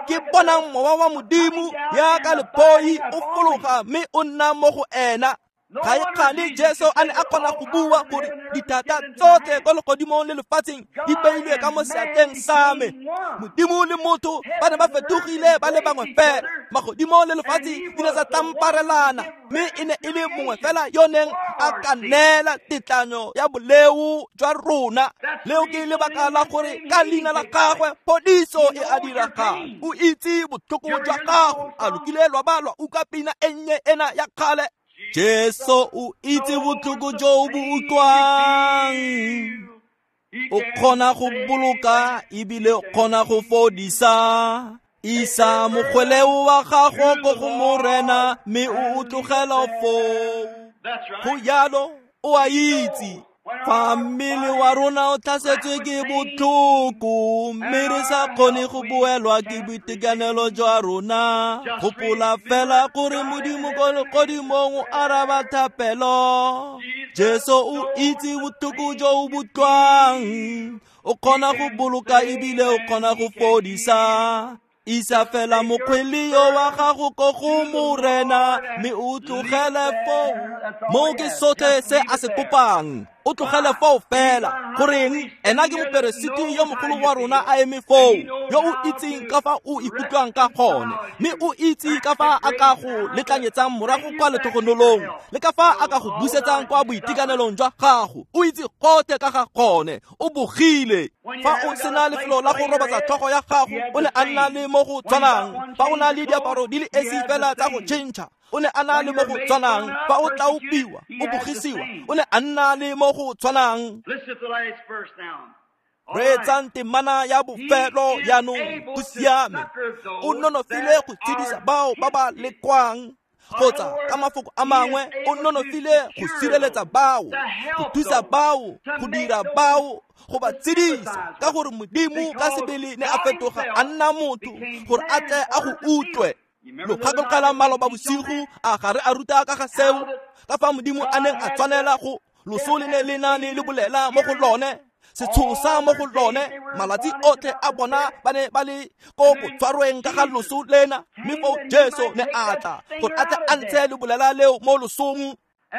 ke bonang mowa wa Modimo yaka lephoi o fologa mme o nna mo go ena." Ga e kgale Jesu a ne a kgona go bua gore dithata tsotlhe ko legodimong le lefatsheng di beilwe ka mo seatleng sa me. Modimo le motho ba ne ba fetogile ba le bangwe fela. Magodimo le lefatshe di ne tsa tlamparelana, mme e ne e le mongwe fela yo neng a ka neela tetlanyo ya boleo jwa rona. Leo ke lebaka la gore ka leina la gagwe phodiso e a diragala. O itse botlhoko jwa gago. A lokile lwa ba lwa utlwa pina e nnye ena ya kgale. Jesu o itse botlhoko jo bo utlwang. O kgona go boloka ebile o kgona go fodisa. Isa mokgweleo wa gago ko go Morena mme o tlogela foo. Go jalo o a itse. Fa mmele wa rona o tlhasetswe ke botlhoko mme re sa kgone go boelwa ke boitekanelo jwa rona, gopola fela gore Modimo ko legodimong o araba thapelo. Jesu o itse botlhoko jo o bo utlwang. O kgona go boloka ebile o kgona go fodisa. Isa fela mokgweleo wa gago ko go Morena mme o tlogele foo. Moo ke sotlhe se a se kopang. O tlogele foo fela. Goreng ena ke moperesiti yo mogolo wa rona a eme foo, yo o itseng ka fa o ikutlwang ka gone, mme o itse ka fa a ka go letlanyetsang morago kwa letlhogonolong le ka fa a ka go busetsang kwa boitekanelong jwa gago. O itse gotlhe ka ga gone. O bogile. Fa o sena lefelo la go robatsa tlhogo ya gago, o ne a nna le mo go tshwanang. Fa o na le diaparo di le esi fela tsa go tšhentšha, o ne a na le mo go tshwanang. Fa o tlaopiwa, o bogisiwa, o ne a nna le mo go tshwanang. Reetsang temana ya bofelo jaanong. Go siame. O nonofile go tshedisa bao ba ba lekwang, kgotsa ka mafoko a mangwe o nonofile go sireletsa bao, go thusa bao, go dira bao, go ba tshedisa, ka gore Modimo ka sebele ne a fetoga a nna motho gore a tle a go utlwe. Lo gakologelwa maloba bosigo a gare a ruta ka ga seo, ka fa Modimo a neng a tshwanela go loso le ne le na le le bolela mo go lone, setshosa mo go lone. Malatsi otlhe a bona ba ne ba le ko botshwarweng ka ga loso lena, mme foo Jesu ne a tla gore a tle a ntshe le bolela leo mo losong.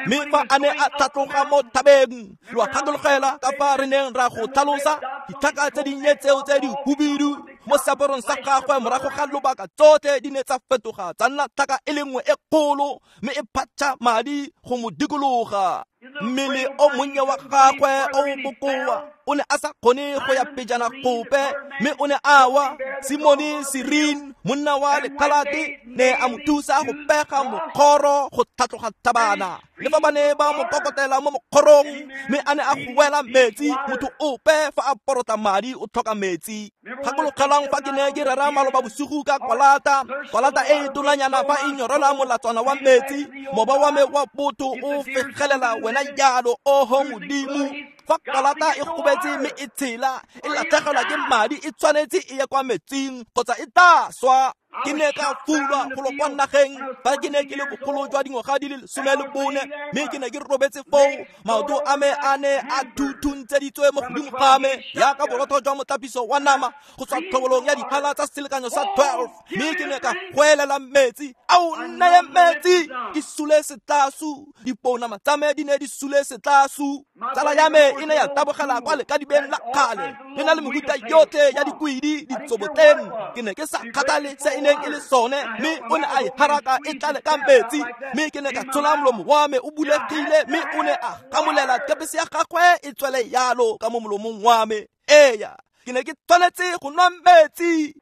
Mme fa a ne a tlhatloga mo thabeng, lo gakologelwa ka fa re neng ra go tlhalosa ditlhaka tse dinnye tseo tse di hubidu mo seaparong sa gagwe morago ga lobaka tsotlhe di ne tsa fetoga tsa nna tlhaka e le nngwe e kgolo, mme e phatša madi go mo dikologa. Mmele o monnye wa gagwe o bokoa o ne a sa kgone go ya pejana gope, mme o ne a wa. Simone Sirin, monna wa lekgalate, ne a mo thusa go pega mokgoro go tlhatloga thabana. Le fa ba ne ba mo kokotela mo mokgorong, mme a ne a goela metsi. Motho ope fa a porota madi o tlhoka metsi. Gakologelwang fa ke ne ke rera maloba bosigo ka kwalata, kwalata e tonanyana fa e nyorela molatswana wa metsi, moba wa me wa botho o fegelela wena jalo, oho Modimo. Fa kwalata e gobetse mme e tshela, e latlhegelwa ke madi, e tshwanetse e ye kwa metsing kgotsa e tla swa. Ke ne ka fulwa golo kwa nageng fa ke ne ke le bogolo jwa dingwaga di le 14, mme ke ne ke robetse foo. Maoto a me a ne a thuthuntseditswe mo godimo ga me jaaka borotho jwa motlapiso wa nama go tswa tlhobolong ya diphala tsa selekanyo sa 12, mme ke ne ka goelela metsi. Ao nneye metsi! Ke sule setlasu. Dipounama tsa me di ne di sule setlasu. Tsala ya me e ne ya tabogela kwa lekadibeng la kgale le na le mehuta yotlhe ya dikwidi ditsobotleng. Ke ne ke sa kgathale se e neng e le sone, mme o ne a e haraka e tlale ka metsi. Mme ke ne ka tshola molomo wa me o bulegile, mme o ne a gamolela kepese ya gagwe e tswele yalo ka mo molomong wa me. Eya, ke ne ke tshwanetse go nwa metsi.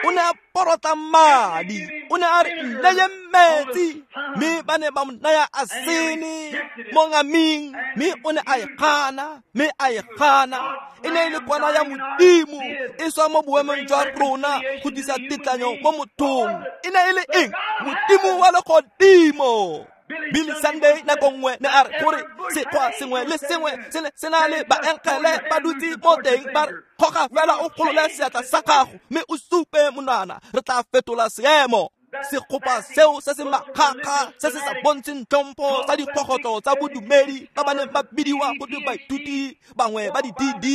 O ne a porota madi. O ne a re nneye metsi, mme ba ne ba mo naya asene mo ngaming, mme o ne a e gana, mme a e gana. E ne e le kwana ya Modimo e swa mo boemong jwa rona go tlisa tetlanyo mo mothong. E ne e le eng? Modimo wa legodimo. Billy Sunday nako nngwe ne a re gore sekgwa sengwe le sengwe se ne se na le baengele ba dutse mo teng, ba re kgoga fela o golole seatla sa gago mme o supe monwana, re tla fetola seemo. Segopa seo se se makgakga se se sa bontsheng tlhompho sa dikgogotlo tsa bodumedi ba ba neng ba bidiwa go twe baithuti bangwe ba di-DD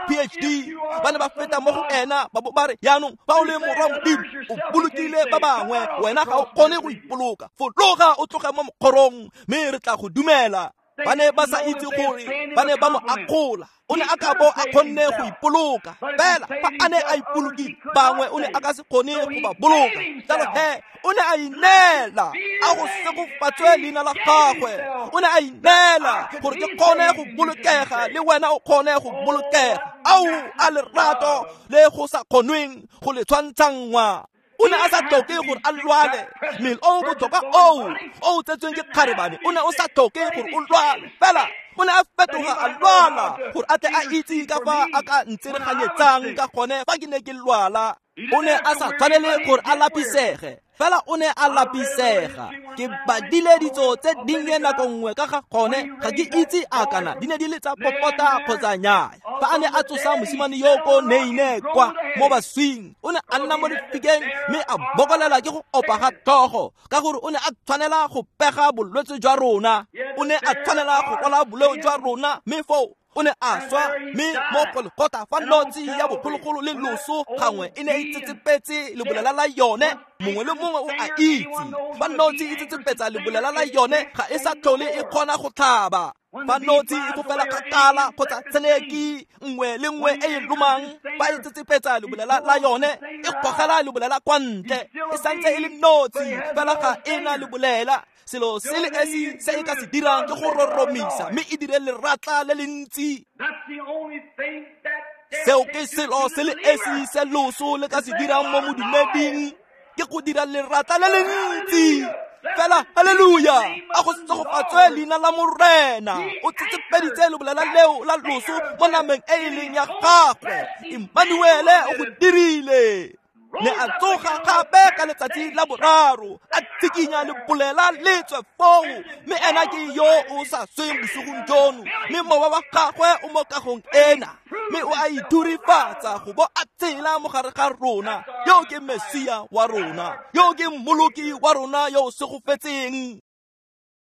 PhD ba ne ba feta mo go ena ba bo ba re yaanong fa o le morwa Modimo o bolokile ba bangwe wena ga o kgone go ipoloka fologa o tloge mo mokgorong mme re tla go dumela. Ba ne ba sa itse gore ba ne ba mo akgola. O ne a ka bo a kgonne go ipoloka fela fa a ne a ipolokile bangwe o ne a ka se kgone go ba boloka. Jalo he o ne a ineela a go segofatswe leina la gagwe. O ne a ineela gore ke kgone go bolokega le wena o kgone go bolokega. Ao a lerato le go sa kgonweng go le tshwantshanngwa. O ne a sa tlhoke gore a lwale. Mmele o botlhokwa o tsetsweng ke kgarebane o ne o sa tlhoke gore o lwale fela o ne a fetoga a lwala gore a tle a itse ka fa a ka ntsereganyetsang ka gone fa ke ne ke lwala. O ne a sa tshwanele gore a lapisege fela o ne a lapisega. Ke badile ditso tse dinnye nako nngwe ka ga gone ga ke itse a kana di ne di le tsa popota kgotsa nnyaya. Fa a ne a tsosa mosimane yo ko Neine kwa mo baswing o ne a nna mo lefikeng mme a bokolela ke go opa ga tlhogo ka gore o ne a tshwanela go pega bolwetse jwa rona. O ne a tshwanela go rwala boleo jwa rona mme foo o ne a swa mme mo Golgotha fa notsi ya bogologolo le loso gangwe e ne e tsetsepetse lebolela la yone. Mongwe le mongwe o a itse fa notsi e tsetsepetsa lebolela la yone ga e sa tlhole e kgona go tlhaba. Fa notsi e fofela kgakala kgotsa tsheneki nngwe le nngwe e e lomang fa e tsetsepetsa lebolela la yone e gogela lebolela kwa ntle. E santse e le notsi fela ga e na lebolela. Selo se le esi se e ka se dirang ke go roromisa mme e dire leratla le le ntsi. Seo ke selo se le esi se loso le ka se dirang mo modumeding ke go dira leratla le le ntsi. Fela haleluya a go segofatswe leina la Morena. O tsetsepeditse lebolela leo la loso mo nameng e e leng ya gagwe. Emmanuele o go dirile. Ne a tsoga gape ka letsatsi la boraro a tsikinya lebolela le tswe foo mme ena ke yo o sa sweng bosigong jono mme mowa wa gagwe o mo kagong ena mme o a ithurifatsa go bo a tsela mo gare ga rona. Yo ke Mesia wa rona, yo ke mmoloki wa rona yo o segofetseng.